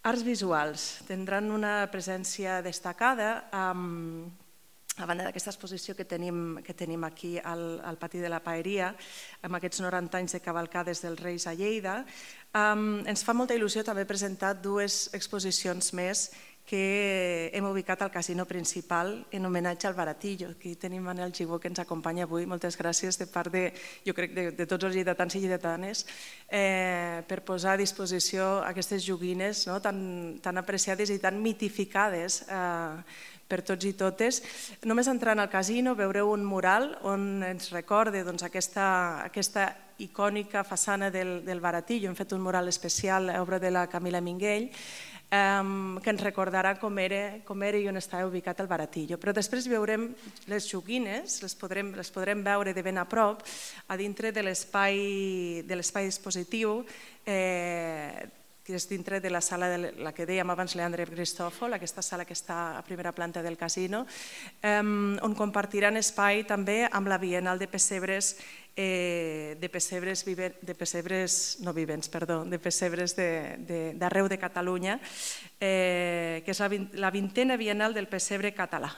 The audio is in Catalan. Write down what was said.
Arts visuals tindran una presència destacada a banda d'aquesta exposició que tenim aquí al Pati de la Paeria, amb aquests 90 anys de cavalcades dels Reis a Lleida. Ens fa molta il·lusió també presentar dues exposicions més que hem ubicat al casino principal en homenatge al Baratillo. Aquí tenim Manel Gibó, que ens acompanya avui. Moltes gràcies de part jo crec, de tots els lleidatans i lleidatanes per posar a disposició aquestes joguines tan apreciades i tan mitificades per tots i totes. Només entrant al casino veureu un mural on ens recorda aquesta icònica façana del Baratillo. Hem fet un mural especial, obra de la Camila Minguell, que ens recordarà com era i on estava ubicat el Baratillo. Però després veurem les joguines, les podrem veure de ben a prop a dintre de l'espai dispositiu, que és dintre de la sala, la que dèiem abans Leandre Cristòfol, aquesta sala que està a primera planta del casino, on compartiran espai també amb la Bienal de Pessebres d'arreu de Catalunya, que és la 20a Bienal del Pessebre català.